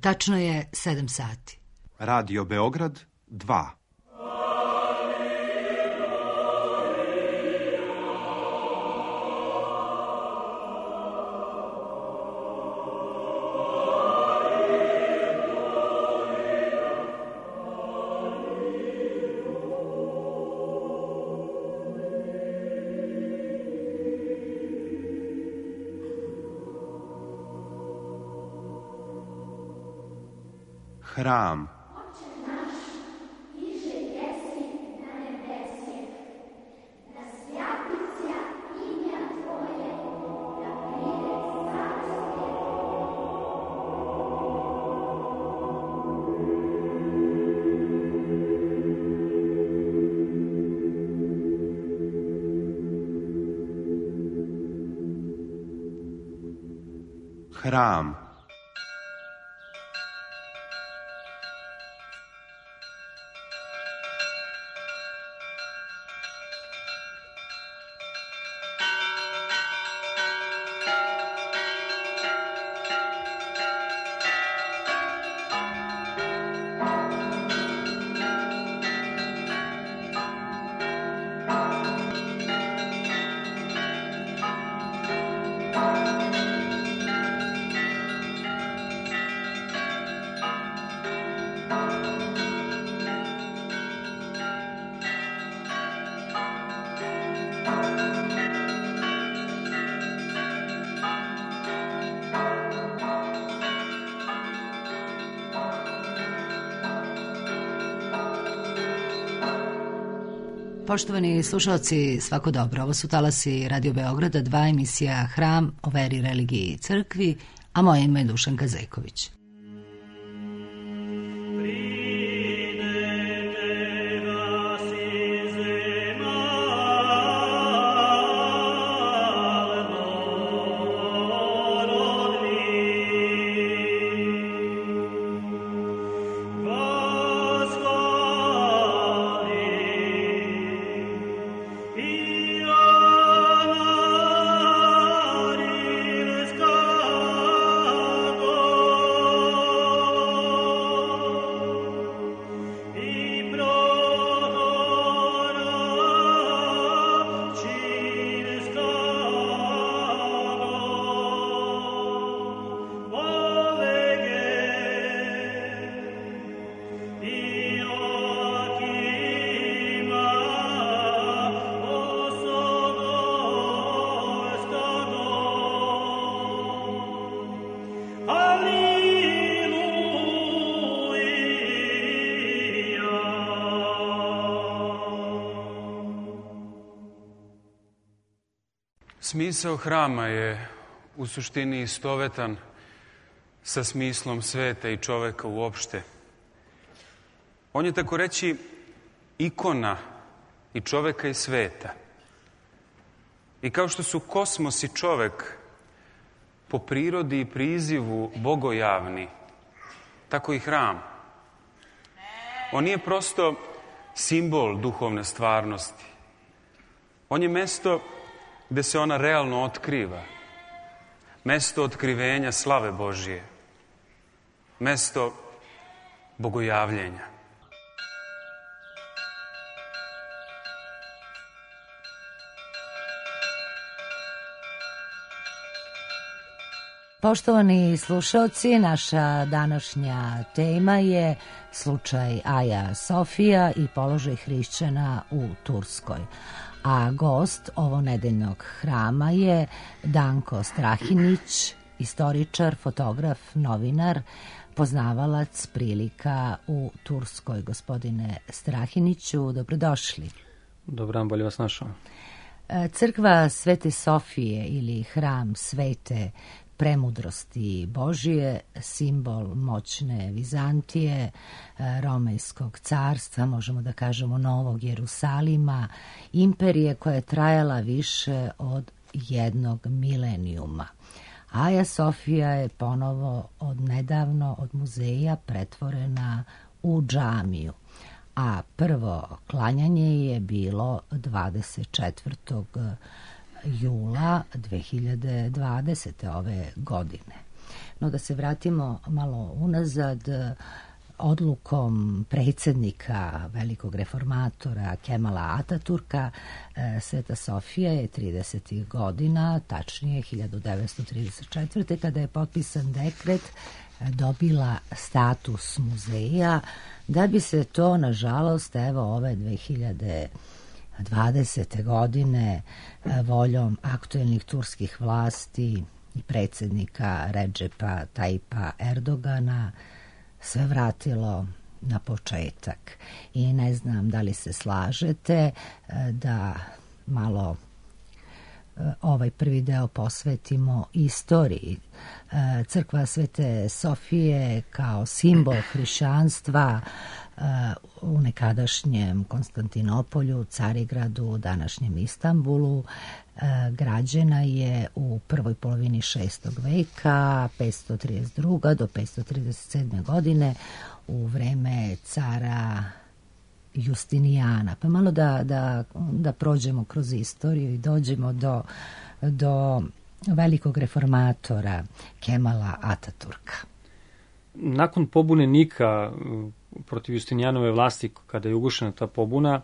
Tačno je 7 sati. Radio Beograd 2. Hram. Hram. Poštovani slušalci, svako dobro. Ovo su talasi Radio Beograda 2, emisija Hram o veri, religiji i crkvi, a moje ime je Dušanka Zejković. Smisao hrama je u suštini istovetan sa smislom sveta i čoveka uopšte. On je tako reći ikona i čoveka i sveta. I kao što su kosmos i čovek po prirodi i prizivu bogojavni, tako i hram. On nije prosto simbol duhovne stvarnosti. On je mesto gde se ona realno otkriva. Mesto otkrivenja slave Božije. Mesto bogojavljenja. Poštovani slušalci, naša današnja tema je slučaj Aja Sofija i položaj hrišćana u Turskoj. A gost ovonedeljnog hrama je Danko Strahinić, istoričar, fotograf, novinar, poznavalac prilika u Turskoj. Gospodine Strahiniću, dobrodošli. Dobar dan, bolje vas našao. Crkva Svete Sofije ili hram Svete premudrosti Božije, simbol moćne Vizantije, Romejskog carstva, možemo da kažemo Novog Jerusalima, imperije koja je trajala više od 1 milenijuma. Aja Sofija je ponovo nedavno od muzeja pretvorena u džamiju, a prvo klanjanje je bilo 24. jula 2020. ove godine. No da se vratimo malo unazad, odlukom predsjednika velikog reformatora Kemala Ataturka, Sveta Sofija je 30. godina, tačnije 1934. kada je potpisan dekret, dobila status muzeja, da bi se to, nažalost, evo ove 2020. godine voljom aktuelnih turskih vlasti i predsjednika Redžepa Tayyipa Erdogana sve vratilo na početak. I ne znam da li se slažete da malo ovaj prvi deo posvetimo istoriji. Crkva Svete Sofije kao simbol hrišćanstva u nekadašnjem Konstantinopolju, Carigradu, današnjem Istanbulu, građena je u prvoj polovini 6. veka, 532. do 537. godine, u vreme cara Justinijana. Pa malo da prođemo kroz istoriju i dođemo do velikog reformatora Kemala Ataturka. Nakon pobune Nika protiv Justinijanove vlasti, kada je ugušena ta pobuna,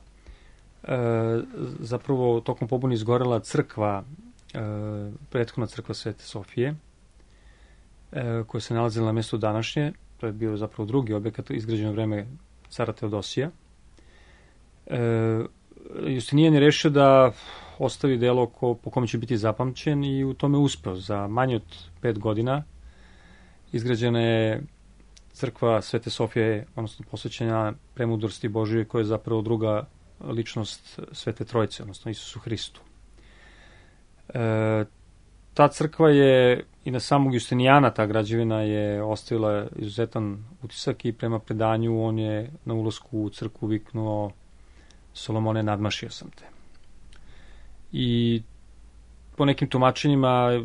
zapravo tokom pobune izgorela crkva, prethodna crkva Svete Sofije, koja se nalazila na mjestu današnje. To je bio zapravo drugi objekat izgrađen u vreme cara Teodosija. Justinijan je rešio da ostavi delo po kome će biti zapamćen i u tome uspeo. Za manje od 5 godina izgrađena je crkva Svete Sofije, odnosno posvećena premudrosti Božije, koja je zapravo druga ličnost Svete Trojice, odnosno Isusu Hristu. Ta crkva je i na samog Justinijana, ta građevina je ostavila izuzetan utisak i prema predanju on je na ulasku u crkvu viknuo: Solomone, nadmašio sam te. I po nekim tumačenjima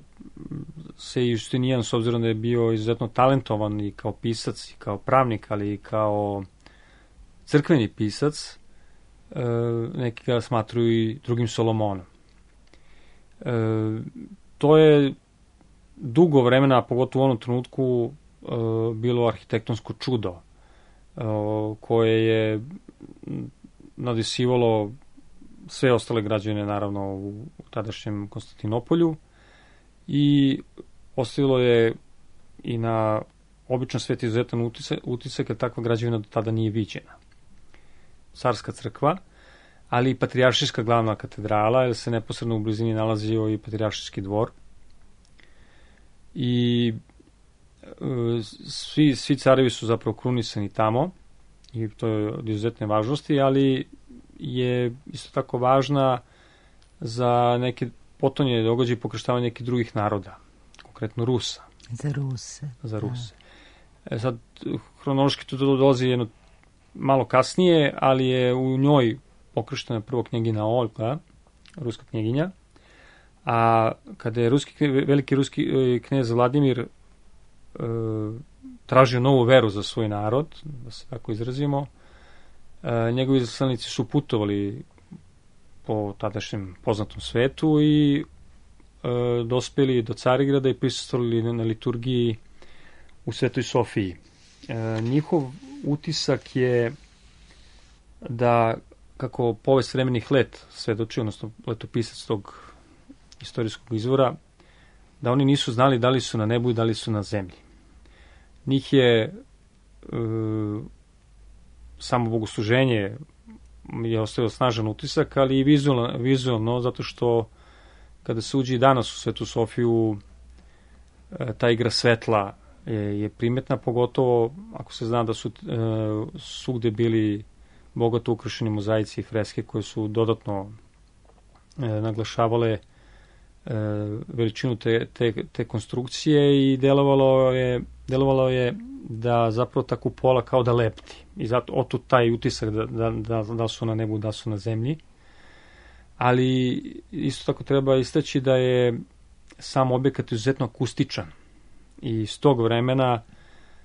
se Justinijan, s obzirom da je bio izuzetno talentovan i kao pisac, i kao pravnik, ali i kao crkveni pisac, neki ga smatruju i drugim Solomonom. To je dugo vremena, pogotovo u onom trenutku, bilo arhitektonsko čudo koje je nadisivalo sve ostale građane, naravno, u tadašnjem Konstantinopolju, i ostavilo je i na običan svet izuzetan utisak, jer takva građevina do tada nije viđena. Carska crkva, ali i patrijaršijska glavna katedrala, jer se neposredno u blizini nalazio i patrijaršijski dvor. I svi carevi su zapravo krunisani tamo, i to je od izuzetne važnosti, ali je isto tako važna za neke potonje događaje i pokrštavanje nekih drugih naroda, konkretno Rusa. Za Ruse. Sad, hronološki to dolazi jedno malo kasnije, ali je u njoj pokrštena prvo knjegina Olga, ruska knjeginja, a kada je veliki ruski knez Vladimir tražio novu veru za svoj narod, da se tako izrazimo, njegovi izaslanici su putovali po tadašnjem poznatom svetu i dospeli do Carigrada i prisustvovali na liturgiji u Svetoj Sofiji. Njihov utisak je da, kako povest vremenih let svedoči, odnosno letopisac tog istorijskog izvora, da oni nisu znali da li su na nebu i da li su na zemlji. Njih je samo bogosluženje je ostavio snažan utisak, ali i vizualno, zato što kada se uđe i danas u Svetu Sofiju, ta igra svetla je primetna, pogotovo ako se zna da su svugde bili bogato ukrašeni mozaici i freske koje su dodatno naglašavale veličinu te konstrukcije, i delovalo je da zapravo ta kupola kao da lepti. I zato otud taj utisak da su na nebu, da su na zemlji. Ali isto tako treba istaći da je sam objekat izuzetno akustičan. I iz tog vremena,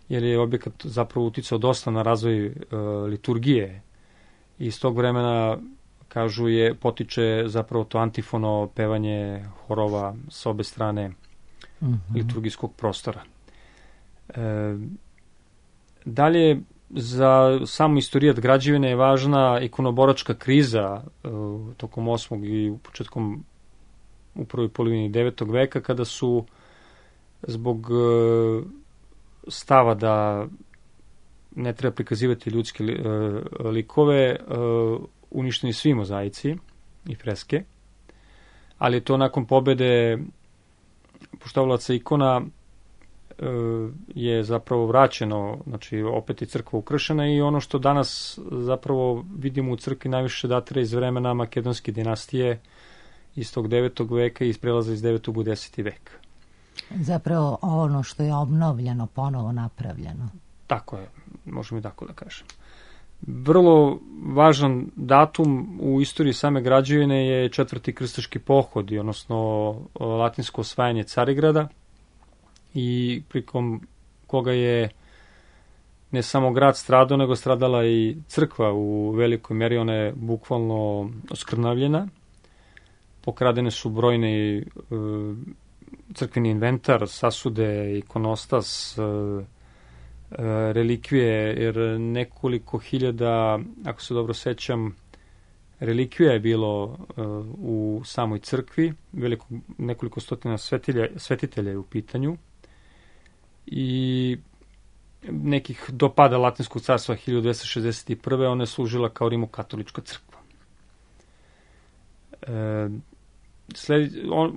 jer je objekat zapravo uticao dosta na razvoj liturgije, i iz tog vremena, kažu, potiče zapravo to antifono pevanje horova s obe strane liturgijskog prostora. Dalje, za samu istorijat građevine je važna ikonoboračka kriza tokom 8. i u prvoj polovini 9. veka, kada su zbog stava da ne treba prikazivati ljudske likove uništeni svi mozaici i freske, ali je to nakon pobede poštovalaca ikona je zapravo vraćeno, znači opet je crkva ukršena i ono što danas zapravo vidimo u crkvi najviše datira iz vremena makedonske dinastije iz tog 9. veka i iz prelaza iz 9. u 10. vek. Zapravo ono što je obnovljeno, ponovo napravljeno. Tako je, možemo i tako da kažem. Vrlo važan datum u istoriji same građevine je 4. krstaški pohod, odnosno latinsko osvajanje Carigrada, i prikom koga je ne samo grad stradao, nego stradala i crkva u velikoj meri. Ona je bukvalno oskrnavljena. Pokradene su brojni crkveni inventar, sasude, ikonostas, relikvije, jer nekoliko hiljada, ako se dobro sećam, relikvija je bilo u samoj crkvi, nekoliko stotina svetitelja je u pitanju i nekih do pada Latinskog carstva 1261. ona je služila kao rimokatolička crkva.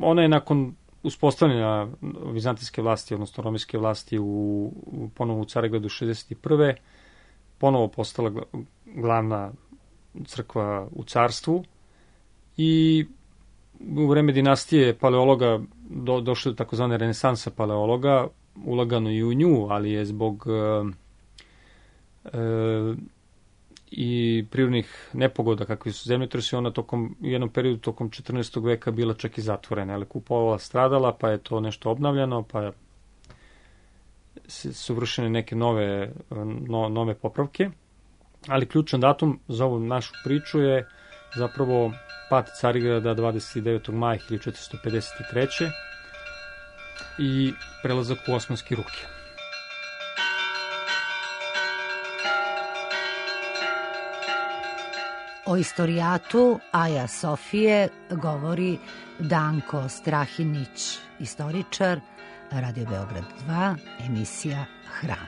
Ona je nakon uspostavljena vizantijske vlasti, odnosno romijske vlasti ponovo u Carigradu 61. ponovo postala glavna crkva u carstvu i u vreme dinastije paleologa došlo do takozvane renesansa paleologa, ulagano i u nju, ali je zbog i prirodnih nepogoda kakvi su zemljotresi, ona u jednom periodu tokom 14. veka bila čak i zatvorena, ali kupovala stradala, pa je to nešto obnavljano, pa su vršene neke nove popravke, ali ključan datum za ovu našu priču je zapravo pad Carigrada 29. maja 1453. i prelazak u osmanske ruke. O istorijatu Aja Sofije govori Danko Strahinić, istoričar, Radio Beograd 2, emisija Hram.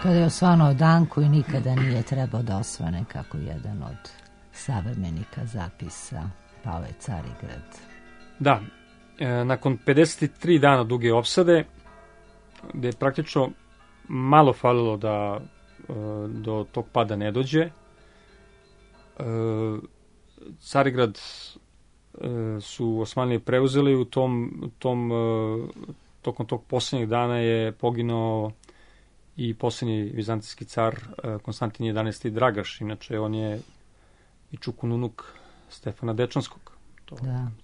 Kada je osvanuo Danko i nikada nije trebao da osvane, kako jedan od savremenika zapisa, pao je Carigrad. Da, nakon 53 dana duge opsade, gde je praktično malo falilo da do tog pada ne dođe, Carigrad su Osmanlije preuzeli u tokom tog posljednjeg dana je poginuo i posljednji vizantijski car Konstantin XI. Dragaš. Inače, on je i čukun unuk Stefana Dečanskog. To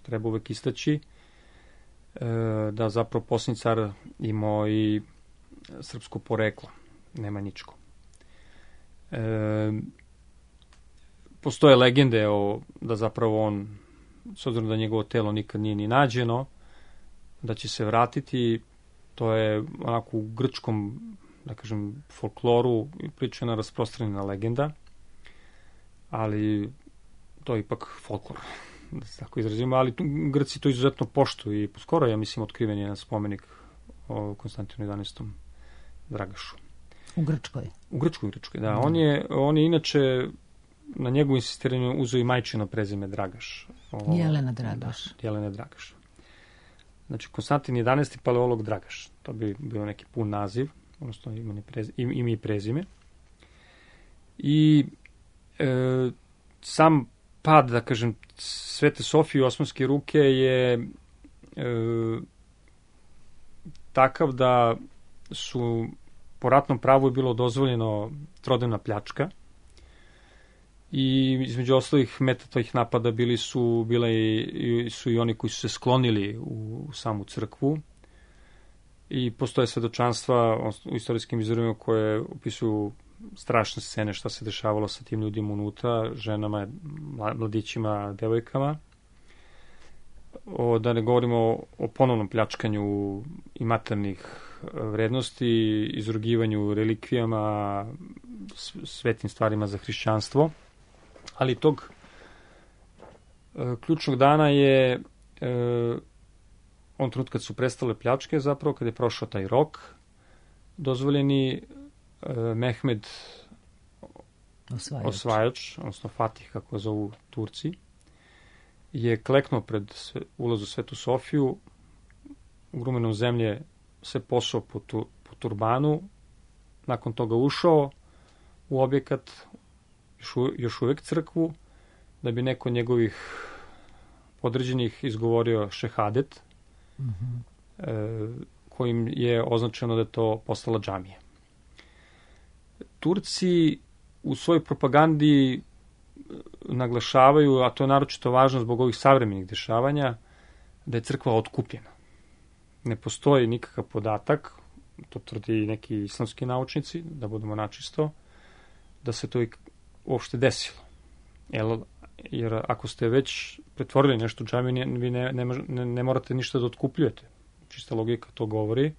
treba uvek istaći. Da zapravo posljednji car imao i srpsko poreklo, nemanjičko. Postoje legende da zapravo on, s obzirom da njegovo telo nikad nije ni nađeno, da će se vratiti. To je onako u grčkom, da kažem, folkloru pričana rasprostranjena legenda, ali to je ipak folklor, da se tako izrazimo, ali Grci to izuzetno poštuju i skoro, ja mislim, otkriven je jedan spomenik o Konstantinu XI. Dragašu. U Grčkoj? U Grčkoj, da. On je inače na njegovu insistiranju uzeo i majčino prezime Dragaš. Jelena Dragaš. Da, Jelena Dragaš. Znači, Konstantin XI. Paleolog Dragaš. To bi bio neki pun naziv, odnosno ime i prezime. I sam pad, da kažem, Svete Sofije u osmanske ruke je takav da su po ratnom pravu je bilo dozvoljeno trodnevna pljačka i između ostalih meta tih napada bili su i oni koji su se sklonili u samu crkvu i postoje svedočanstva u istorijskim izvorima koje opisuju strašne scene šta se dešavalo sa tim ljudima unutra, ženama, mladićima, devojkama. da ne govorimo o ponovnom pljačkanju i materijalnih vrednosti, izrugivanju relikvijama, svetim stvarima za hrišćanstvo. Ali tog ključnog dana je on trenut kad su prestale pljačke, zapravo kad je prošao taj rok dozvoljeni, Mehmed osvajač, odnosno Fatih, kako ga zovu Turci, je kleknuo pred ulaz u Svetu Sofiju, ugrumenom zemlje se posao po turbanu, nakon toga ušao u objekat, još uvek crkvu, da bi neko njegovih podređenih izgovorio šehadet, kojim je označeno da je to postala džamija. Turci u svojoj propagandi naglašavaju, a to je naročito važno zbog ovih savremenih dešavanja, da je crkva otkupljena. Ne postoji nikakav podatak, to tvrdi neki islamski naučnici, da budemo načisto, da se to uopšte desilo. Jer ako ste već pretvorili nešto u džamiju, vi ne morate ništa da otkupljujete. Čista logika to govori.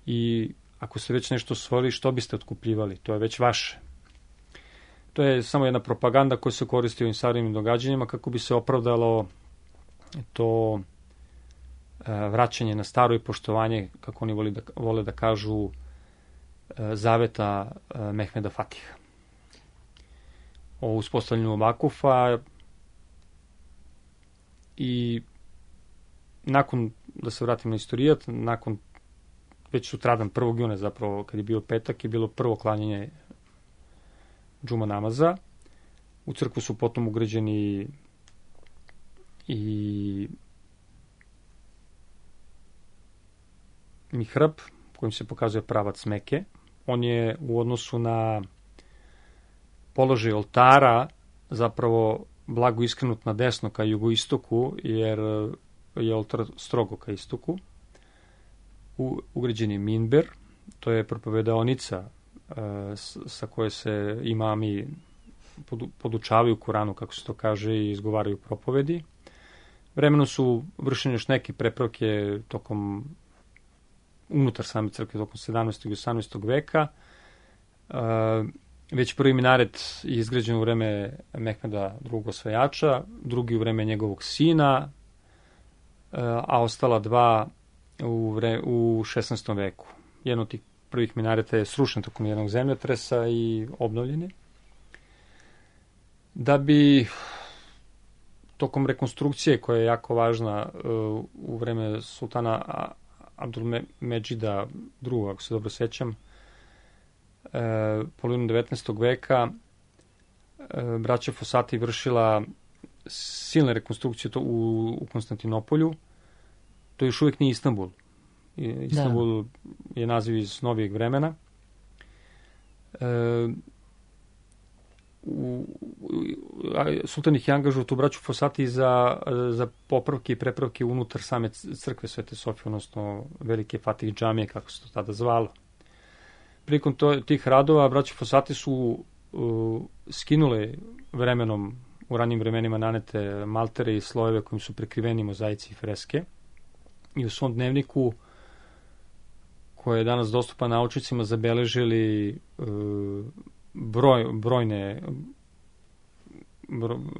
I ako ste već nešto osvojili, što biste otkupljivali? To je već vaše. To je samo jedna propaganda koja se koristi u ovim savremenim događanjima kako bi se opravdalo to vraćanje na staro i poštovanje, kako oni vole da kažu, zaveta Mehmeda Fatiha. O uspostavljanju vakufa i nakon, da se vratim na istorijat, nakon već sutradan 1. juna zapravo, kad je bio petak, je bilo prvo klanjanje džuma namaza. U crkvu su potom ugrađeni i mihrab, kojim se pokazuje pravac Meke. On je u odnosu na položaj oltara zapravo blago iskrenut na desno ka jugoistoku, jer je oltar strogo ka istoku. Ugrađen je minber, to je propovedaonica sa koje se imami podučavaju Kuranu, kako se to kaže, i izgovaraju propovedi. Vremenom su vršene još neke prepravke tokom unutar same crkve tokom 17. i 18. veka. Već prvi minaret je izgrađen u vreme Mehmeda II. Osvajača, drugi u vreme njegovog sina, a ostala dva u 16. veku. Jedan od tih prvih minareta je srušen tokom jednog zemljotresa i obnovljen je. Da bi tokom rekonstrukcije, koja je jako važna u vreme sultana Abdulmedžida II., ako se dobro sećam, polovinom 19. veka, braća Fosati vršila silne rekonstrukcije u Konstantinopolju. To još uvijek nije Istanbul. Istanbul je naziv iz novijeg vremena. Sultan ih je angažao tu braću Fosati za popravke i prepravke unutar same crkve Svete Sofije, odnosno Velike Fatih džamije, kako se to tada zvalo. Prilikom tih radova braće Fosati su skinule vremenom, u ranijim vremenima, nanete maltere i slojeve kojim su prekriveni mozaici i freske, i u svom dnevniku, koji je danas dostupan naučnicima, zabeležili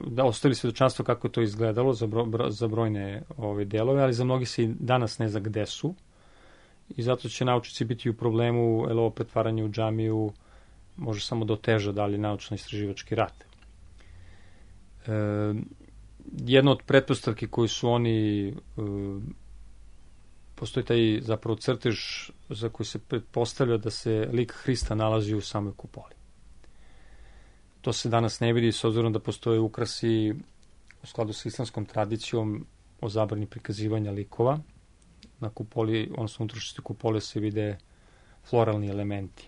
da ostavili svedočanstvo kako je to izgledalo za brojne delove, ali za mnogi se i danas ne zna gde su, i zato će naučnici biti u problemu, jer ovo pretvaranje u džamiju može samo da oteža dalje naučno-istraživački rad. Jedna od pretpostavki koju su oni, postoji taj zapravo crtež za koji se pretpostavlja da se lik Hrista nalazi u samoj kupoli. To se danas ne vidi, s obzirom da postoje ukrasi u skladu sa islamskom tradicijom o zabrani prikazivanja likova. Na kupoli, odnosno unutrašnjosti kupole, se vide floralni elementi,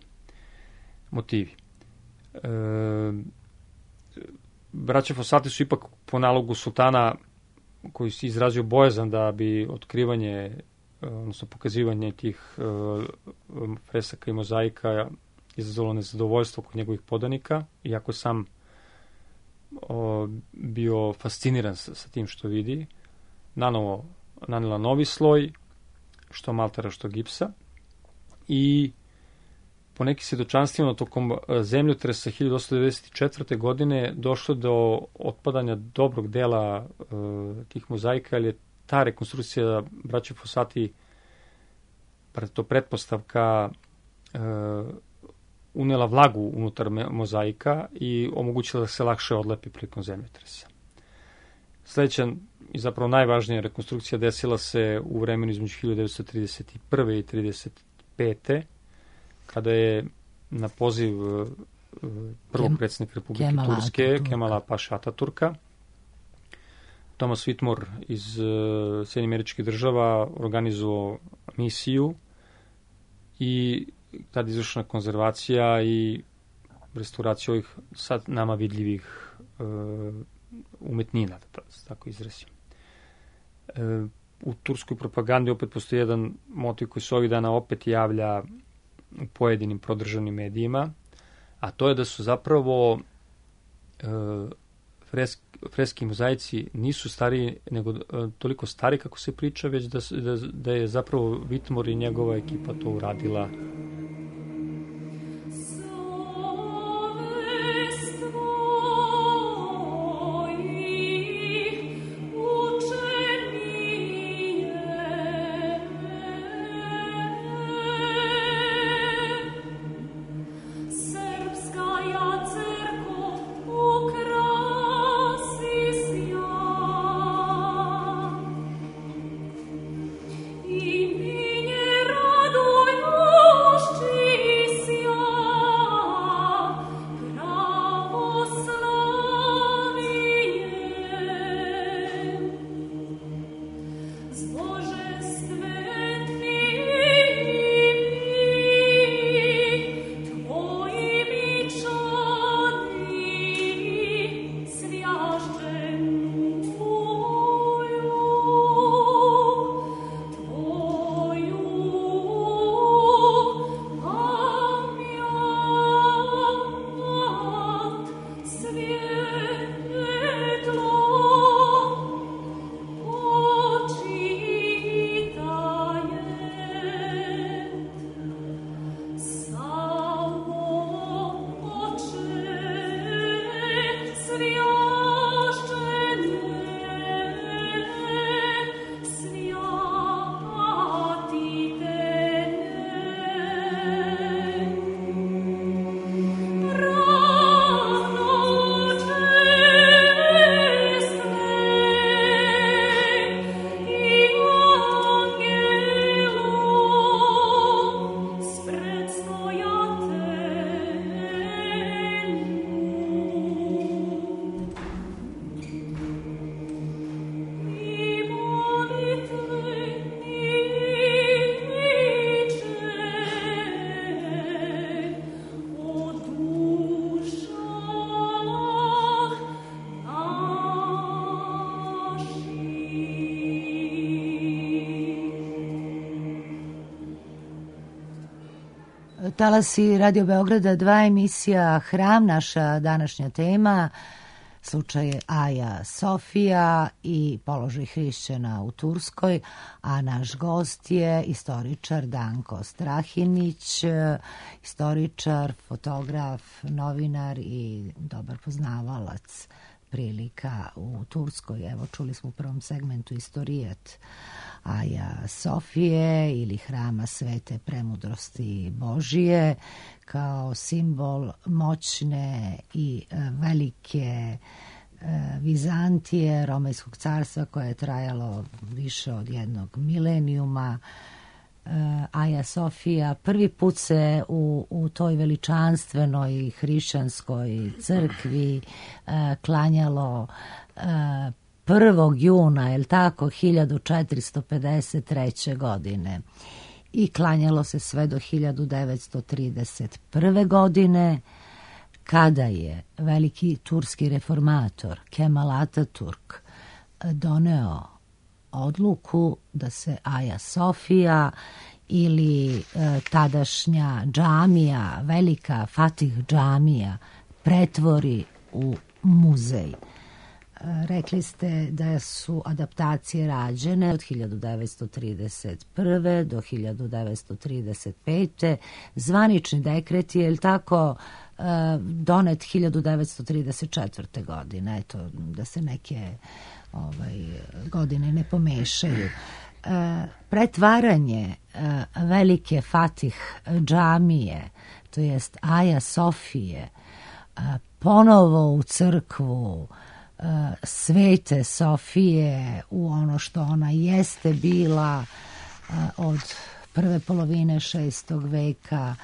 motivi. Braća Fosati su ipak po nalogu sultana, koji se izrazio bojazan da bi otkrivanje, odnosno pokazivanje tih fresaka i mozaika izazvalo nezadovoljstvo kod njegovih podanika, iako je sam bio fasciniran sa tim što vidi, nanela novi sloj, što maltera, što gipsa, i po nekim svjedočanstvima tokom zemljotresa 1894. godine došlo do otpadanja dobrog dela tih mozaika, ali je ta rekonstrukcija braće Fossati, to pretpostavka, unela vlagu unutar mozaika i omogućila da se lakše odlepi prilikom zemljotresa. Sledeća i zapravo najvažnija rekonstrukcija desila se u vremenu između 1931. i 1935. kada je na poziv prvog predsjednika Republike Turske, Kemala Paše Ataturka, Thomas Whitmore iz Sjedinjenih Američkih Država organizovao misiju i tada izvršena konzervacija i restauracija ovih sad nama vidljivih umetnina, da se tako izrazim. U turskoj propagandi opet postoji jedan motiv koji se ovih dana opet javlja u pojedinim prodržavnim medijima, a to je da su zapravo freski mozaici nisu stariji, nego toliko stari kako se priča, već da je zapravo Whitmore i njegova ekipa to uradila. Talasi Radio Beograda 2, emisija Hram, naša današnja tema, slučaj Aja Sofija i položaj hrišćana u Turskoj, a naš gost je istoričar Danko Strahinić, istoričar, fotograf, novinar i dobar poznavalac prilika u Turskoj. Evo, čuli smo u prvom segmentu istorijet Aja Sofije ili Hrama Svete Premudrosti Božije kao simbol moćne i velike Vizantije, Romejskog carstva koje je trajalo više od jednog milenijuma. Aja Sofija prvi put se u toj veličanstvenoj hrišćanskoj crkvi klanjalo 1. juna, je li tako, 1453. godine. I klanjalo se sve do 1931. godine, kada je veliki turski reformator Kemal Ataturk doneo odluku da se Aja Sofija ili tadašnja džamija, velika Fatih džamija, pretvori u muzej. Rekli ste da su adaptacije rađene od 1931. do 1935. Zvanični dekret je, tako, donet 1934. godine. Eto, da se neke godine ne pomešaju. Pretvaranje velike Fatih džamije, to jest Aja Sofije, ponovo u crkvu Svete Sofije, u ono što ona jeste bila od prve polovine 6. veka,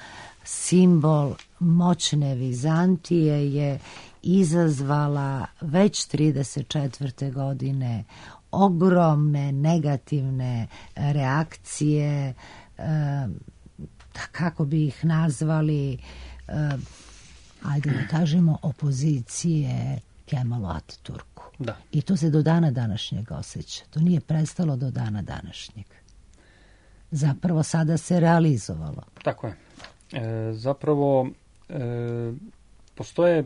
simbol moćne Vizantije, je izazvala već 34. godine ogromne negativne reakcije, kako bi ih nazvali, ajde da kažemo, opozicije Kemalu Ataturku. Da. I to se do dana današnjeg osjeća. To nije prestalo do dana današnjeg. Zapravo sada se realizovalo. Tako je. Zapravo postoje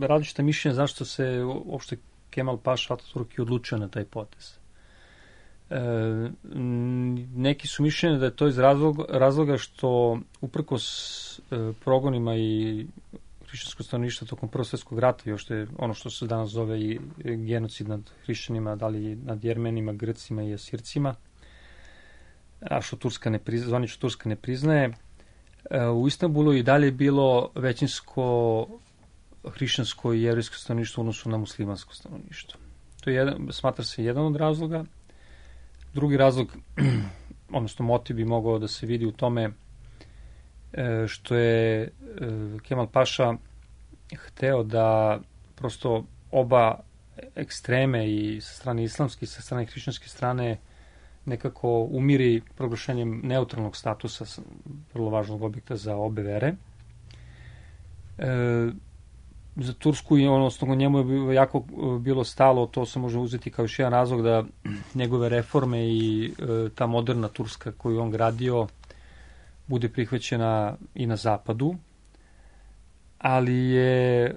različite mišljenja zašto se uopšte Kemal Paša Ataturk je odlučio na taj potez. Neki su mišljenja da je to iz razloga što uprkos progonima i hrišćansko stanovništvo tokom Prvog svjetskog rata, još je ono što se danas zove i genocid nad hrišćanima, da li nad Jermenima, Grcima i Asircima, a što zvanično Turska ne priznaje, u Istanbulu i dalje bilo većinsko hrišćansko i jevrejsko stanovništvo u odnosu na muslimansko stanovništvo. To je smatra se jedan od razloga. Drugi razlog, odnosno motiv, bi mogao da se vidi u tome što je Kemal Paša hteo da prosto oba ekstreme, i sa strane islamske i sa strane hrišćanske strane, nekako umiri proglašenjem neutralnog statusa, vrlo važnog objekta za obe vere. Za Tursku, odnosno njemu je jako bilo stalo, to se može uzeti kao još jedan razlog, da njegove reforme i ta moderna Turska koju on gradio bude prihvaćena i na zapadu, ali je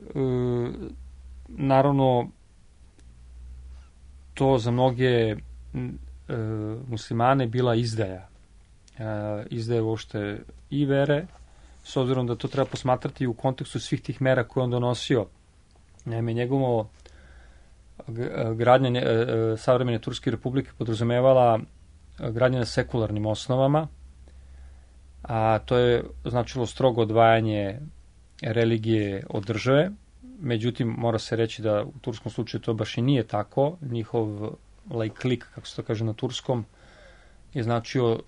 naravno to za mnoge muslimane bila izdaja. Izdaja uopšte i vere, s obzirom da to treba posmatrati u kontekstu svih tih mera koje on donosio. Naime, njegovo gradnja savremene Turske republike podrazumevala gradnje na sekularnim osnovama, a to je značilo strogo odvajanje religije od države. Međutim, mora se reći da u turskom slučaju to baš i nije tako. Njihov laiklik, kako se to kaže na turskom, je značio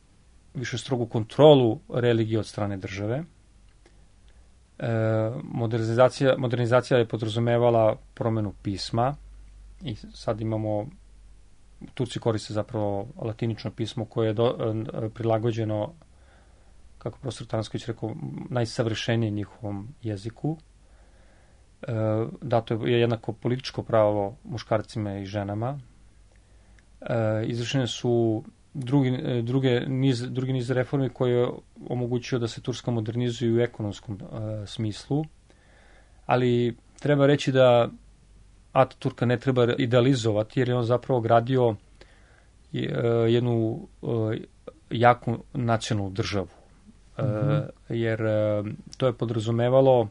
više strogu kontrolu religije od strane države. Modernizacija je podrazumevala promenu pisma i sad imamo, Turci koriste zapravo latinično pismo koje je prilagođeno, kako profesor Tansković rekao, najsavršenije njihovom jeziku. Dato je jednako političko pravo muškarcima i ženama. Izvršene su drugi niz reformi koji je omogućio da se Turska modernizuje u ekonomskom smislu, ali treba reći da Ataturka ne treba idealizovati, jer je on zapravo gradio jednu jaku nacionalnu državu. Jer to je podrazumevalo,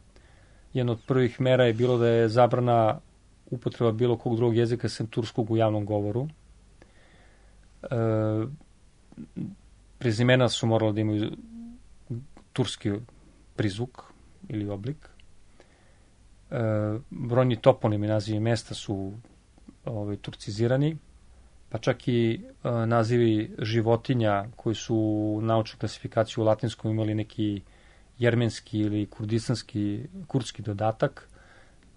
jedna od prvih mera je bilo da je zabrana upotreba bilo kog drugog jezika sem turskog u javnom govoru. Prezimena su morala da imaju turski prizvuk ili oblik. Brojni toponimi nazivi mesta su turcizirani, pa čak i nazivi životinja koji su u naučnoj klasifikaciji u latinskom imali neki jermenski ili kurdski dodatak,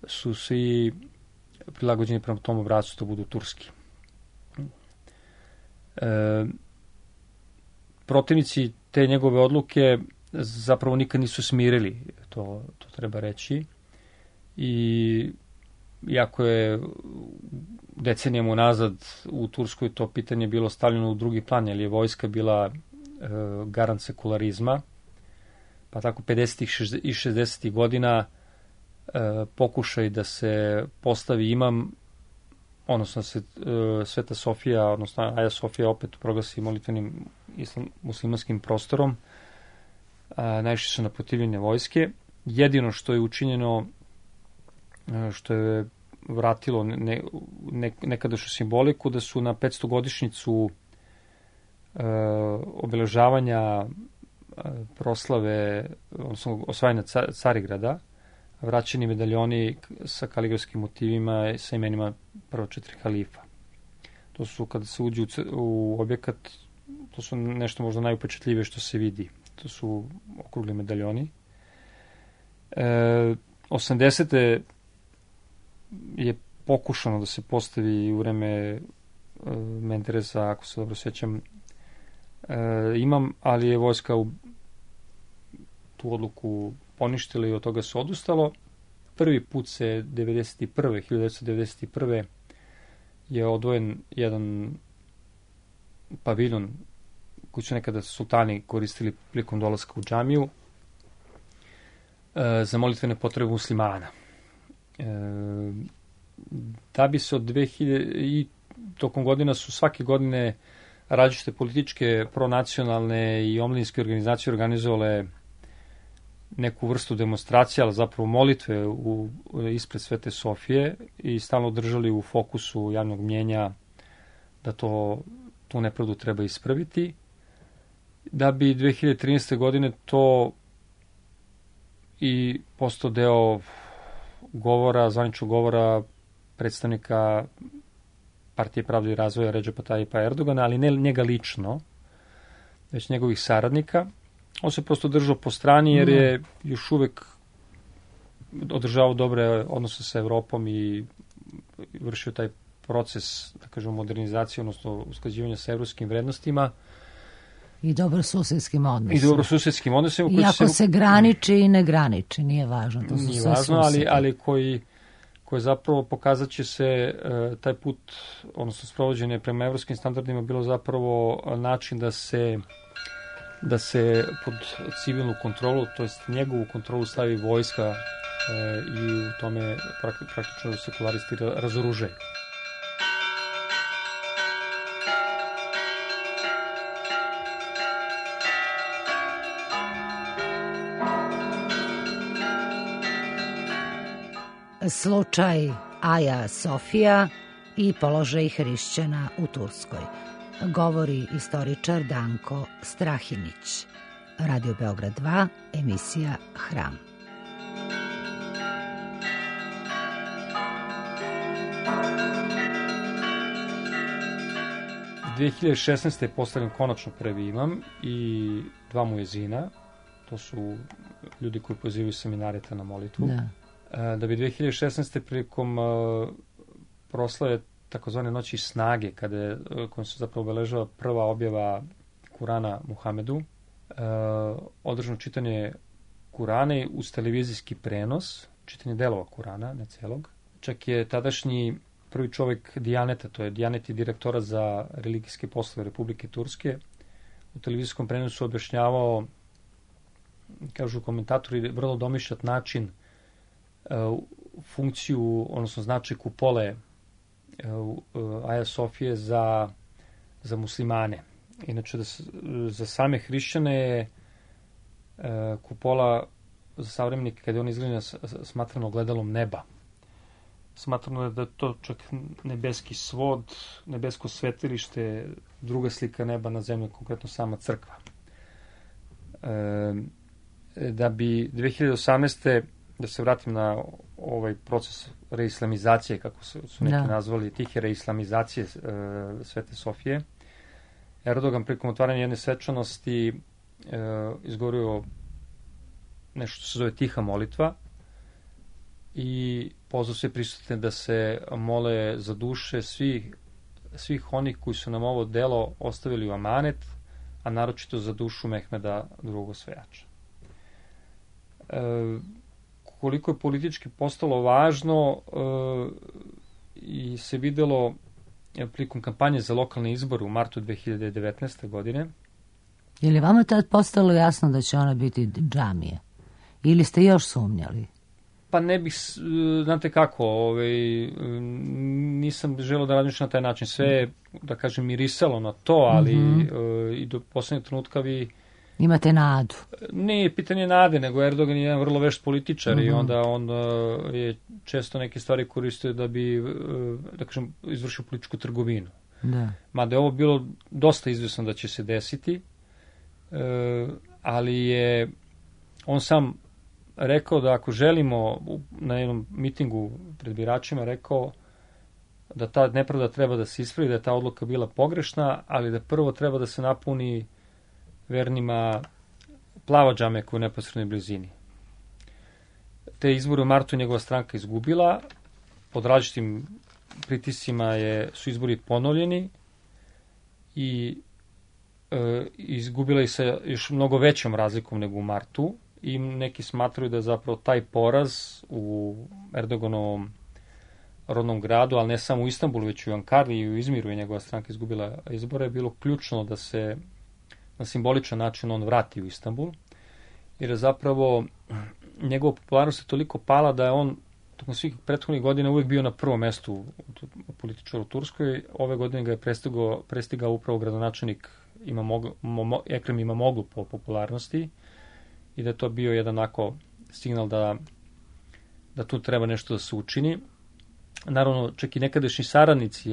su svi prilagođeni prema tom obrascu da budu turski. Protivnici te njegove odluke zapravo nikad nisu smirili, to treba reći, i iako je decenijama unazad u Turskoj to pitanje bilo stavljeno u drugi plan, jer je vojska bila garant sekularizma, pa tako 50. i 60. godina pokušaj da se postavi imam odnosno se Sveta Sofija, odnosno Aja Sofija opet proglasi molitvenim muslimanskim prostorom. Najviše su naprotivljene vojske. Jedino što je učinjeno, što je vratilo nekadašnju simboliku, da su na 500-godišnjicu obeležavanja proslave, odnosno osvajanja Carigrada, vraćeni medaljoni sa kaligrafskim motivima sa imenima prvo 4 halifa. To su, kada se uđe u objekat, to su nešto možda najupečatljivije što se vidi. To su okrugli medaljoni. 80. je pokušano da se postavi u vreme Mendereza, ako se dobro sjećam, ali je vojska tu odluku poništila i od toga se odustalo. Prvi put se 1991. je odvojen jedan paviljon koji su nekada sultani koristili prilikom dolaska u džamiju za molitvene potrebe muslimana. Da bi se od 2000 i tokom godina su svake godine različite političke, pronacionalne i omladinske organizacije organizovale neku vrstu demonstracije, ali zapravo molitve ispred Svete Sofije i stalno držali u fokusu javnog mnjenja da tu nepravdu treba ispraviti. Da bi 2013. godine to i postao deo govora, zvaničnog govora predstavnika Partije pravde i razvoja Redžepa Tajipa Erdogana, ali ne njega lično, već njegovih saradnika. On se prosto držao po strani jer je još uvek održavao dobre odnose sa Evropom i vršio taj proces, da kažemo, modernizacije, odnosno usklađivanja sa evropskim vrednostima. I dobrosusedskim odnosima. Iako se graniči i ne graniči, nije važno. To su nije važno, ali koji zapravo pokazat će se taj put, odnosno sprovođenje prema evropskim standardima bilo zapravo način da se pod civilnu kontrolu, to jest njegovu kontrolu stavi vojska i u tome praktično sekularisti razoružaju. Slučaj Aja Sofija i položaj hrišćana u Turskoj. Govori istoričar Danko Strahinić. Radio Beograd 2, emisija Hram. U 2016. je postavljen konačno prvi imam i 2 muezina. To su ljudi koji pozivaju seminareta na molitvu. Da bi 2016. prilikom proslave takozvane noći snage, kojom se zapravo obeležava prva objava Kurana Muhamedu, održano čitanje Kurana uz televizijski prenos, čitanje delova Kurana, ne celog. Čak je tadašnji prvi čovjek Dijaneta, to je Dijanet je direktora za religijske poslove Republike Turske, u televizijskom prenosu objašnjavao, kažu komentatori, vrlo domišljat način funkciju, odnosno značaj kupole Aja Sofije za muslimane. Inače, za same hrišćane je kupola za savremenike, kada je on izgleda smatrano gledalom neba. Smatrano je da je to čak nebeski svod, nebesko svetilište, druga slika neba na zemlji, konkretno sama crkva. Da bi 2018. da se vratim na ovaj proces reislamizacije, kako su neki nazvali, tihe reislamizacije Svete Sofije, Erdogan prikom otvaranja jedne svečanosti izgovorio nešto što se zove tiha molitva i pozvao sve prisutne da se mole za duše svih onih koji su nam ovo delo ostavili u amanet, a naročito za dušu Mehmeda II. Osvajača. Koliko je politički postalo važno i se videlo prilikom kampanje za lokalne izbore u martu 2019. godine. Je li vama tad postalo jasno da će ona biti džamije? Ili ste još sumnjali? Pa ne bih, znate kako, nisam želeo da razmišljam na taj način. Sve je, da kažem, mirisalo na to, ali i do poslednjeg trenutka vi... Imate nadu. Nije pitanje nade, nego Erdogan je jedan vrlo vešt političar i onda on je često neke stvari koristio da bi, da kažem, izvršio političku trgovinu. Da. Mada je ovo bilo dosta izvesno da će se desiti, ali je on sam rekao da ako želimo, na jednom mitingu pred biračima rekao da ta nepravda treba da se ispravi, da je ta odluka bila pogrešna, ali da prvo treba da se napuni vernima plava džame koja je u neposrednoj blizini. Te izbore u martu njegova stranka izgubila, pod različitim pritiscima su izbori ponovljeni i izgubila ih sa još mnogo većom razlikom nego u martu i neki smatraju da je zapravo taj poraz u Erdoganovom rodnom gradu, ali ne samo u Istanbulu, već i u Ankari i u Izmiru je njegova stranka izgubila izbore, je bilo ključno da se na simboličan način on vrati u Istanbul, jer je zapravo njegova popularnost je toliko pala da je on tokom svih prethodnih godina uvijek bio na prvom mestu političara u Turskoj. Ove godine ga je prestigao upravo gradonačelnik Ekrem Imamoglu po popularnosti i da je to bio jedan onako signal da tu treba nešto da se učini. Naravno, čak i nekadašnji saradnici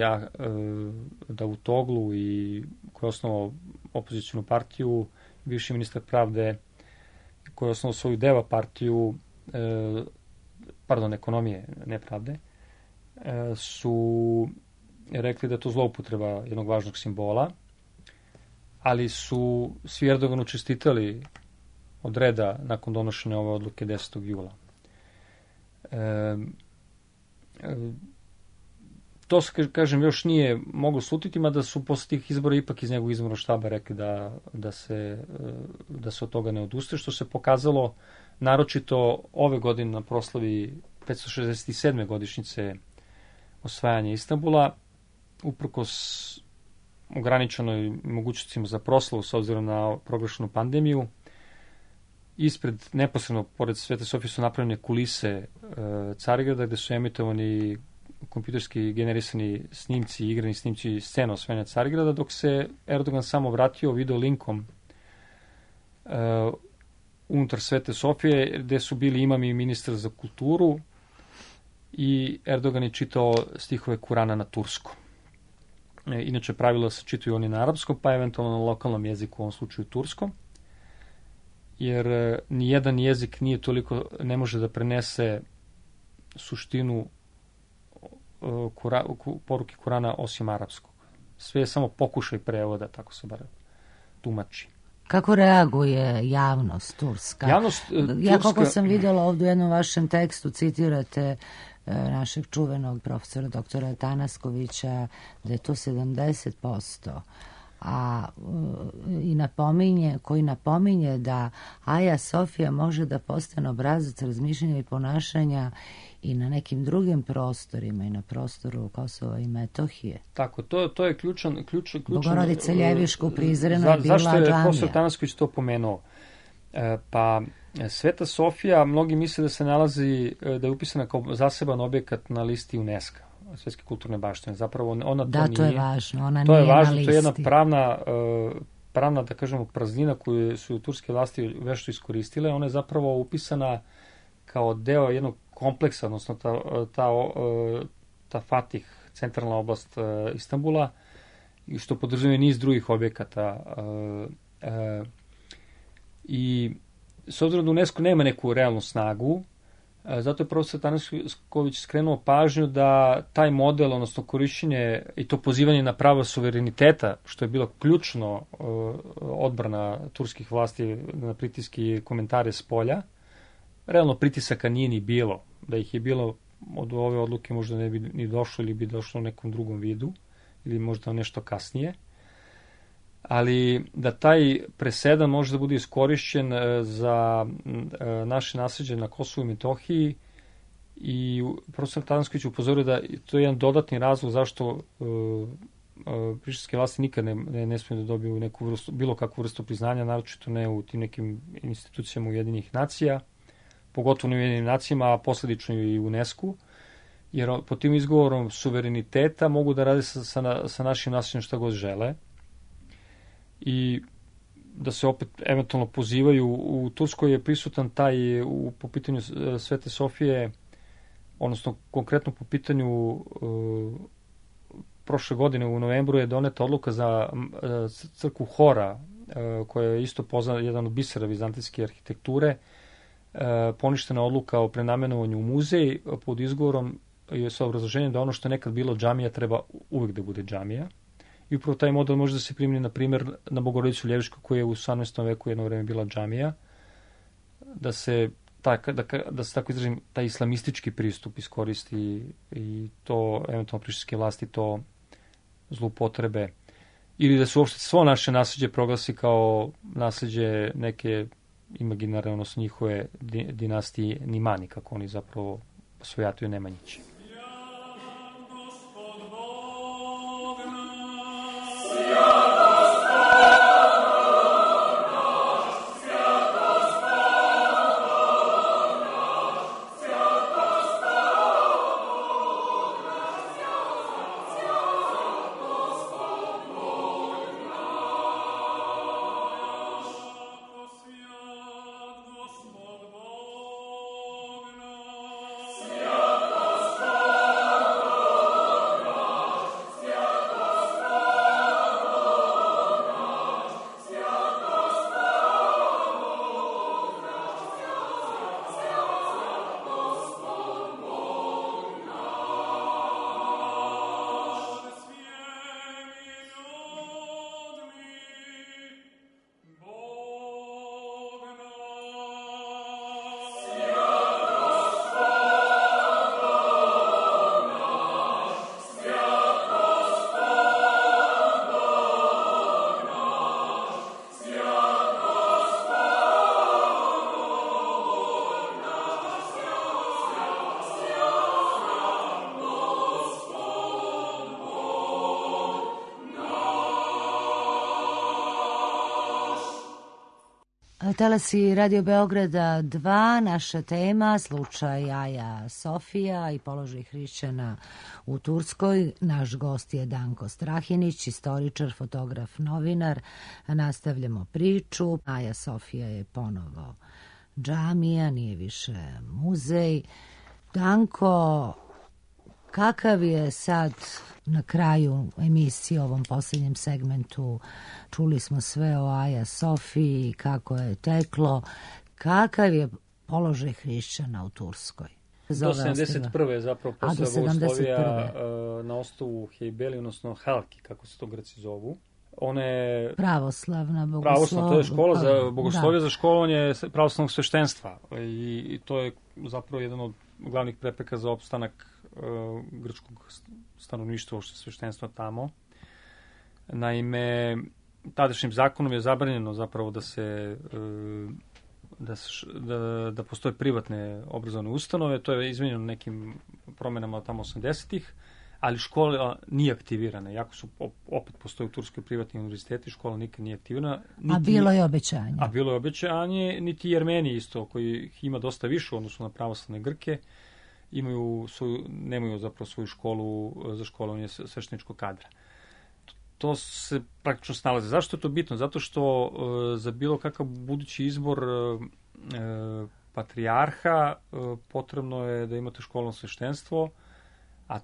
Davutoglu i koji je osnovao opozicijnu partiju, bivši ministar pravde koji je osnovao svoju DEVA partiju, ekonomije, ne pravde, su rekli da je to zloupotreba jednog važnog simbola, ali su svi Erdoganu čestitali od reda nakon donošenja ove odluke 10. jula. To se, kažem, još nije moglo slutiti, mada su posle tih izbora ipak iz njegovog izbornog štaba rekli da se od toga ne odustaje, što se pokazalo naročito ove godine na proslavi 567. godišnjice osvajanja Istanbula, uprkos ograničenoj mogućnostima za proslavu s obzirom na proglašenu pandemiju. Ispred, neposredno, pored Svete Sofije su napravljene kulise Carigrada, gde su emitovani kompjuterski generisani snimci, igrani snimci scena osvajanja Carigrada, dok se Erdogan samo vratio video linkom unutar Svete Sofije, gde su bili imami i ministar za kulturu i Erdogan je čitao stihove Kurana na turskom. Inače, pravilo se čitaju oni na arapskom, pa eventualno na lokalnom jeziku, u ovom slučaju turskom, jer nijedan jezik ne može da prenese suštinu poruke Kurana osim arapskog. Sve je samo pokušaj prevoda, tako se bar tumači. Kako reaguje javnost turska? Ja koliko sam vidjela ovdje u jednom vašem tekstu, citirate našeg čuvenog profesora doktora Tanaskovića, da je to 70%, koji napominje da Aja Sofija može da postane obrazac razmišljanja i ponašanja i na nekim drugim prostorima, i na prostoru Kosova i Metohije. Tako, to je ključan... Bogorodice Ljeviška u Prizrenu je bila zašto je džamija. profesor Tanasković to pomenuo? Pa Sveta Sofija, mnogi misle da se nalazi, da je upisana kao zaseban objekat na listi UNESCO, Svetske kulturne baštine. Zapravo ona to nije. To je važno, ona to nije je važno, na listi. To je jedna pravna, da kažemo, praznina koju su turske vlasti vešto iskoristile. Ona je zapravo upisana kao deo jednog kompleksa, odnosno ta Fatih, centralna oblast Istanbula, što podrazumijeva niz drugih objekata. I s obzirom da UNESCO nema neku realnu snagu, zato je profesor Tanasković skrenuo pažnju da taj model, odnosno korišćenje i to pozivanje na pravo suvereniteta, što je bilo ključno odbrana turskih vlasti na pritiske i komentare s polja, realno pritisaka nije ni bilo. Da ih je bilo od ove odluke možda ne bi ni došlo ili bi došlo u nekom drugom vidu ili možda nešto kasnije. Ali da taj presedan može da bude iskorišćen za naše nasleđe na Kosovu i Metohiji i profesor Tanasković upozorio da to je jedan dodatni razlog zašto prištinske vlasti nikad ne smiju da dobiju bilo kakvu vrstu priznanja, naročito ne u tim nekim institucijama Ujedinjenih nacija. pogotovo u Ujedinjenim nacijama, a posledično i u UNESCO, jer pod tim izgovorom suvereniteta mogu da rade sa našim naseljem šta god žele i da se opet eventualno pozivaju. U Turskoj je prisutan taj, po pitanju Svete Sofije, odnosno konkretno po pitanju prošle godine u novembru je doneta odluka za crkvu Hora, koja je isto poznat, jedan od bisera vizantijske arhitekture, poništena odluka o prenamenovanju u muzej pod izgovorom i sa obrazloženjem da ono što je nekad bilo džamija treba uvek da bude džamija. I upravo taj model može da se primjeni, na primjer, na Bogorodicu Ljevišku, koja je u 18. veku jedno vreme bila džamija, da se tako izrazim, taj islamistički pristup iskoristi i to, eventualno prištinske vlasti to zloupotrebe, ili da se uopšte svo naše nasljeđe proglasi kao nasljeđe neke imaginarne, odnosno njihove dinastije Nimani, kako oni zapravo svojatuju Nemanjići. Talasi Radio Beograda 2, naša tema, slučaj Aja Sofija i položaj hrišćana u Turskoj. Naš gost je Danko Strahinić, istoričar, fotograf, novinar. Nastavljamo priču. Aja Sofija je ponovo džamija, nije više muzej. Danko, kakav je sad na kraju emisije, ovom posljednjem segmentu, čuli smo sve o Aja Sofiji, kako je teklo, kakav je položaj hrišćana u Turskoj? Do 71. zapravo posle bogoslovija na ostavu Hejbeli, odnosno Halki, kako se to Grci zovu. Ona je pravoslavna bogoslovija. Pravoslavna, to je škola za bogoslovije, za školovanje pravoslavnog sveštenstva. I to je zapravo jedan od glavnih prepreka za opstanak grčkog stanovništva, uopšte sveštenstva tamo. Naime, tadašnjim zakonom je zabranjeno zapravo da postoje privatne obrazovne ustanove. To je izmenjeno nekim promenama tamo 80-ih, ali škola nije aktivirana. Iako su opet postoje u Turskoj privatni univerziteti, škola nikad nije aktivirana. A bilo je obećanje. A bilo je obećanje, niti Jermeni isto, koji ima dosta više u odnosu na pravoslavne Grke, nemaju zapravo svoju školu za školovanje svešteničkog kadra. To se praktično snalaze. Zašto je to bitno? Zato što za bilo kakav budući izbor patrijarha potrebno je da imate školno sveštenstvo, a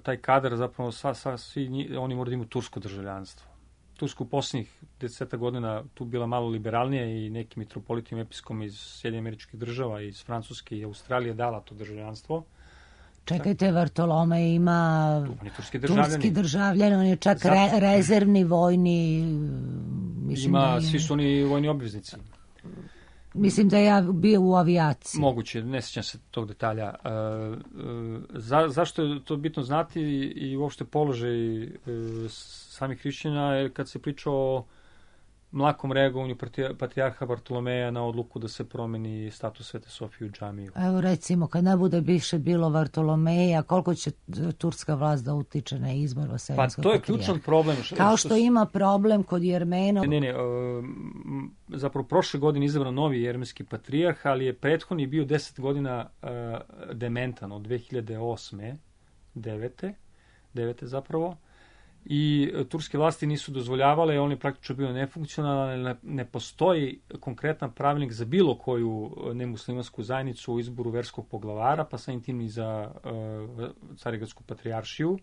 taj kadar zapravo svi oni moraju da imaju tursko državljanstvo. Tursko u posljednjih 10 godina tu bila malo liberalnije i neki mitropolitim episkom iz Sjedinjenih Američkih Država, iz Francuske i Australije dala to državljanstvo. Čekajte, Vartolome ima turski državljan, on je čak rezervni vojni... Svi su oni vojni obveznici. Mislim da je bio u avijaciji. Moguće, ne sjećam se tog detalja. Zašto je to bitno znati i uopšte položaj samih hrišćana, jer kad se priča o mlakom reagovanju patrijarha Bartolomeja na odluku da se promeni status Svete Sofije u džamiju. Evo recimo, kad ne bude više bilo Bartolomeja, koliko će turska vlast da utiče na izbor vaseljenskog Pa to je patrijarha? ključan problem. Kao što ima problem kod Jermena. Zapravo prošle godine izabran novi jermenski patrijarh, ali je prethodni bio 10 godina dementan od 2008. 9. zapravo. I turske vlasti nisu dozvoljavale, on je praktično bio nefunkcionalan, ne postoji konkretan pravilnik za bilo koju nemuslimansku zajednicu u izboru verskog poglavara, pa samim tim i za Carigradsku patrijaršiju.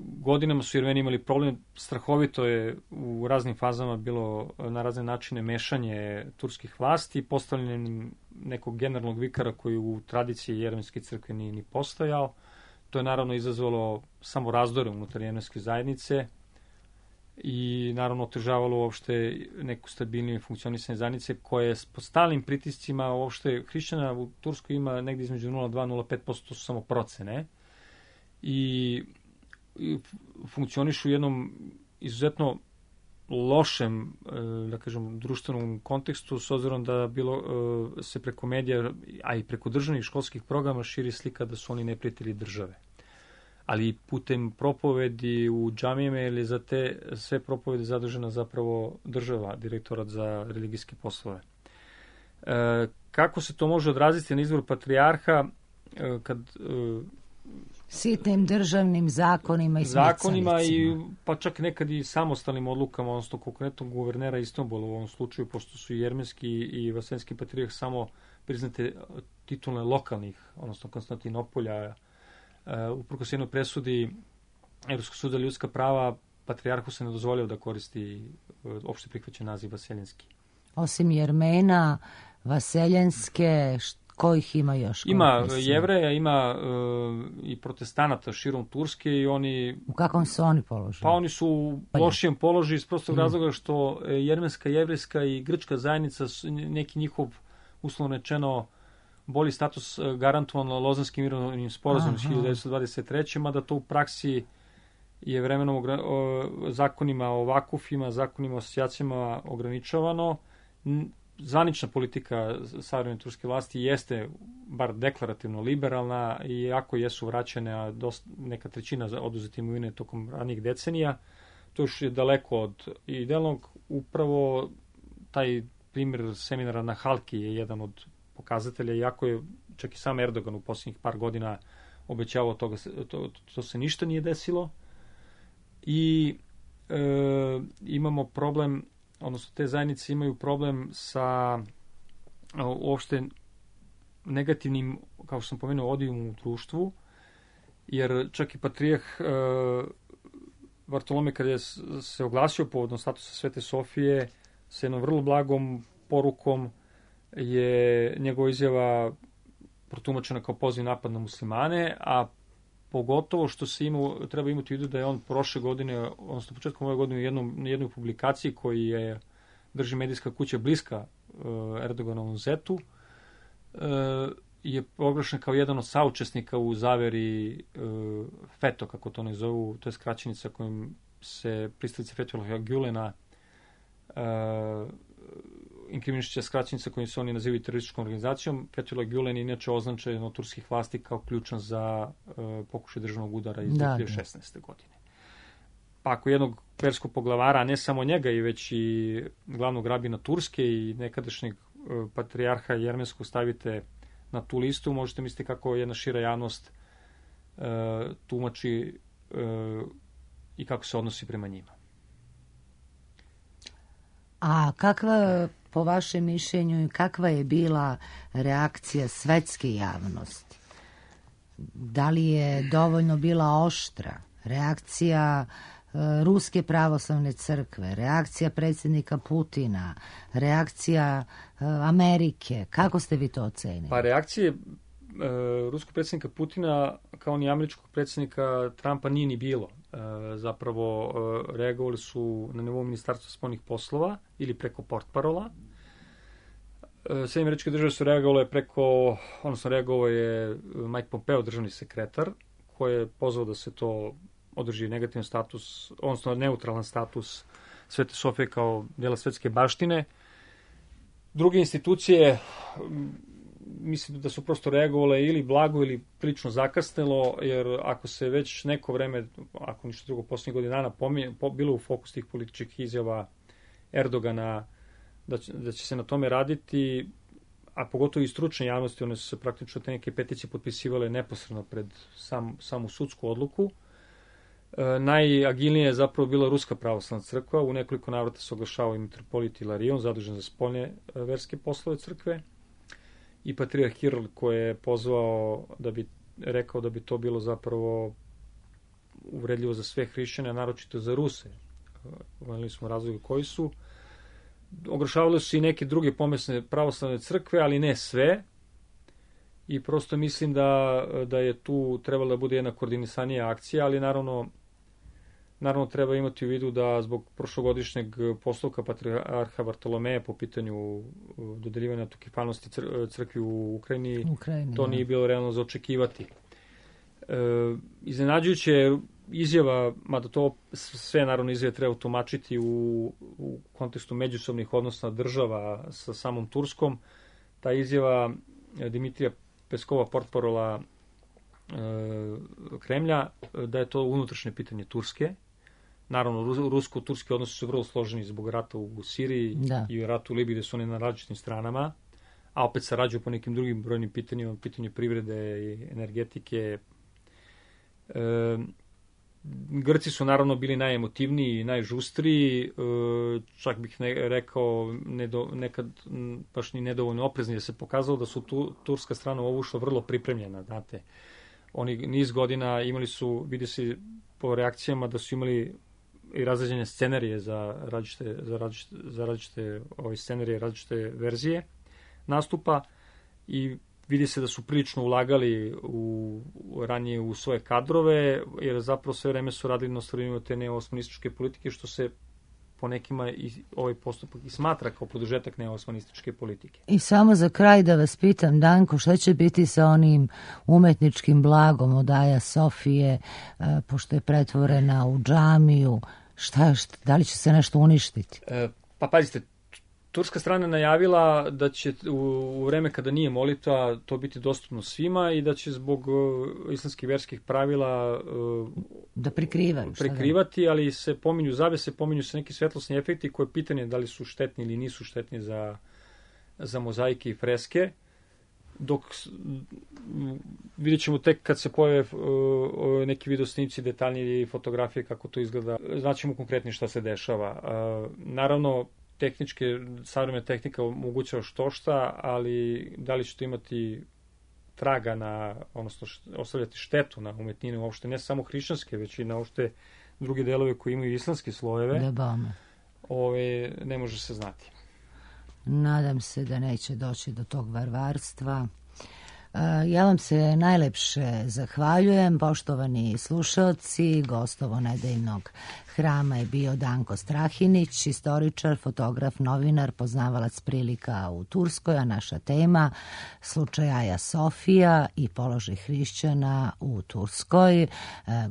Godinama su Jermeni imali problem, strahovito je u raznim fazama bilo na razne načine mešanje turskih vlasti, postavljanjem nekog generalnog vikara koji u tradiciji jermenske crkve nije ni postojao. To je naravno izazvalo samo razdore unutar jermenske zajednice i naravno otežavalo uopšte neku stabilniju funkcionisanje zajednice koja je pod stalnim pritiscima, uopšte hrišćana u Turskoj ima negdje između 0,2-0,5%, su samo procene i funkcionišu u jednom izuzetno lošem, da kažem, društvenom kontekstu, s obzirom da se preko medija, a i preko državnih školskih programa širi slika da su oni neprijatelji države. Ali putem propovedi u džamijama ili za te sve propovede zadužena zapravo država, direktorat za religijske poslove. Kako se to može odraziti na izbor patrijarha kad sitnim državnim zakonima i zakonima i pa čak nekad i samostalnim odlukama, odnosno konkretnog guvernera Istanbula u ovom slučaju, pošto su jermenski i vaseljenski patrijarh samo priznate titulne lokalnih, odnosno Konstantinopolja. Uprkos jednoj presudi Evropskog suda za ljudska prava, patrijarhu se ne dozvoljava da koristi opšte prihvaćen naziv vaseljenski. Osim Jermena, vaseljenske, kojih ima još? Ima Jevreja, ima i protestanata širom Turske i oni... U kakvom su oni položaju? Pa oni su u lošijem položaju iz prostog razloga što jermenska, jevrejska i grčka zajednica, neki njihov, uslovno rečeno, bolji status garantovan Lozanskim mirovnim sporazumom iz 1923. Mada to u praksi je vremenom zakonima o vakufima, zakonima o asocijacijama ograničavano. Zvanična politika savremene turske vlasti jeste bar deklarativno liberalna i iako jesu vraćene, a neka trećina oduzete imovine tokom ranijih decenija, to još je daleko od idealnog. Upravo taj primjer seminara na Halki je jedan od pokazatelja, iako je čak i sam Erdogan u posljednjih par godina obećavao toga, to se ništa nije desilo. I imamo problem, odnosno te zajednice imaju problem sa uopšte negativnim, kao što sam pomenuo, odijom u društvu, jer čak i patrijah Bartolome kada je se oglasio povodom statusa Svete Sofije sa jednom vrlo blagom porukom je njegova izjava protumačena kao poziv napad na muslimane, a pogotovo što se treba imati u vidu da je on prošle godine, odnosno početkom ove godine u jednoj publikaciji koji je drži medijska kuća bliska Erdoganovom zetu, je proglašen kao jedan od saučesnika u zaveri FETO, kako to ne zovu, to je skraćenica kojim se pristalice Fethullah Gülena inkriminišća skraćenica kojim se oni nazivaju terorističkom organizacijom. Fethullah Gülen je inače označen od turskih vlasti kao ključan za pokušaj državnog udara iz 2016. godine. Pa ako jednog verskog poglavara, ne samo njega, i već i glavnog rabina Turske i nekadašnjeg patrijarha jermenskog stavite na tu listu, možete misliti kako jedna šira javnost tumači i kako se odnosi prema njima. A kakva, po vašem mišljenju, kakva je bila reakcija svetske javnosti? Da li je dovoljno bila oštra? Reakcija Ruske pravoslavne crkve, reakcija predsjednika Putina, reakcija Amerike. Kako ste vi to ocenili? Pa reakcije ruskog predsjednika Putina kao ni američkog predsjednika Trumpa nije ni bilo. Zapravo reagovali su na nivou Ministarstva spoljnih poslova ili preko portparola. Sjedinjene Američke Države su reagovale reagovao je Mike Pompeo, državni sekretar, koji je pozvao da se to održi negativan status, odnosno neutralan status Svete Sofije kao dela svetske baštine. Druge institucije, mislim da su prosto reagovale ili blago ili prilično zakasnelo, jer ako se već neko vreme, ako ništa drugo, posljednjih godina dana bilo u fokus tih političkih izjava Erdogana da će se na tome raditi, a pogotovo i stručne javnosti, one su se praktično te neke peticije potpisivale neposredno pred samu sudsku odluku. Najagilnije je zapravo bila Ruska pravoslavna crkva, u nekoliko navrata se oglašavao i mitropolit Ilarion, zadužen za spoljne verske poslove crkve, i patrijarh Kiril koji je pozvao rekao da bi to bilo zapravo uvredljivo za sve hrišćane, a naročito za Ruse. Imali smo razloge koji su. Oglašavale su i neke druge pomesne pravoslavne crkve, ali ne sve. I prosto mislim da je tu trebala da bude jedna koordinisanija akcija, ali naravno treba imati u vidu da zbog prošlogodišnjeg postupka patrijarha Bartolomeja po pitanju dodeljivanja autokefalnosti crkvi u Ukrajini, to nije bilo realno za očekivati. Iznenađujuće izjava, mada to sve naravno izjave treba tumačiti u kontekstu međusobnih odnosa država sa samom Turskom, ta izjava Dimitrija Peskova, portparola Kremlja, da je to unutrašnje pitanje Turske. Naravno, rusko-turski odnosi su vrlo složeni zbog rata u Siriji i ratu u Libiji, gde su oni na različitim stranama, a opet sarađuju po nekim drugim brojnim pitanjima, pitanju privrede i energetike. Grci su naravno bili najemotivniji i najžustriji, čak bih rekao nekad baš ni nedovoljno oprezni, da se pokazalo da su turska strana ovo ušla vrlo pripremljena, znate. Oni niz godina imali su, vidi se po reakcijama da su imali i razređene scenarije za različite scenarije, različite verzije nastupa, i vidi se da su prilično ulagali ranije u svoje kadrove, jer zapravo sve vreme su radili na ostvarivanju te neoosmanističke politike, što se po nekima i ovaj postupak i smatra kao produžetak neoosmanističke politike. I samo za kraj da vas pitam, Danko, šta će biti sa onim umetničkim blagom od Aja Sofije, pošto je pretvorena u džamiju, da li će se nešto uništiti? Pa pazite, turska strana najavila da će u vreme kada nije molitva to biti dostupno svima i da će zbog islamskih verskih pravila da prikrivati, ali se pominju zavese, pominju se neki svetlosni efekti koje pitanje da li su štetni ili nisu štetni za mozaike i freske. Dok vidjet ćemo tek kad se pojave neki videosnimci, detaljnije i fotografije kako to izgleda, znaćemo konkretno šta se dešava. Naravno, savremena tehnika omogućava štošta, ali da li će to imati traga odnosno ostavljati štetu na umetnine uopšte, ne samo hrišćanske, već i na uopšte druge delove koji imaju islamske slojeve, ne može se znati. Nadam se da neće doći do tog varvarstva. Ja vam se najlepše zahvaljujem, poštovani slušaoci. Gostovo nedeljnog hrama je bio Danko Strahinić, istoričar, fotograf, novinar, poznavalac prilika u Turskoj, a naša tema slučaj Aja Sofija i položaj hrišćana u Turskoj.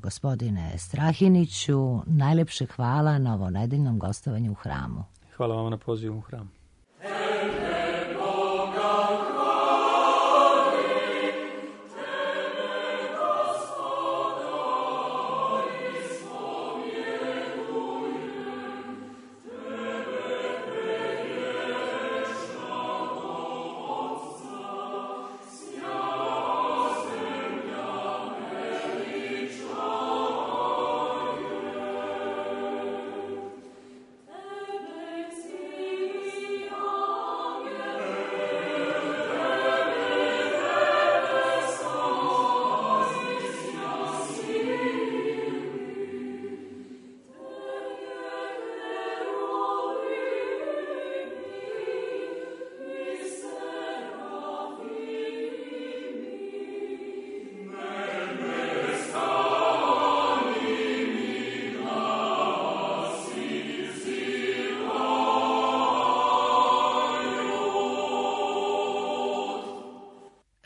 Gospodine Strahiniću, najlepše hvala na ovo nedeljnom gostovanju u hramu. Hvala vam na pozivu u hram.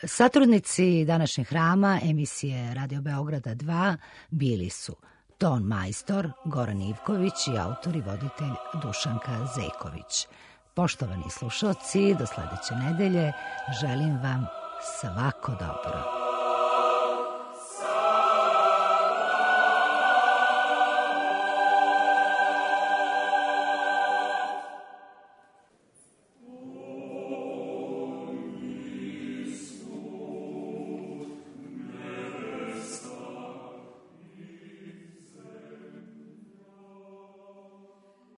Satrudnici današnjeg hrama emisije Radio Beograda 2 bili su Ton majstor Goran Ivković i autor i voditelj Dušanka Zeković. Poštovani slušalci, do sledeće nedelje želim vam svako dobro.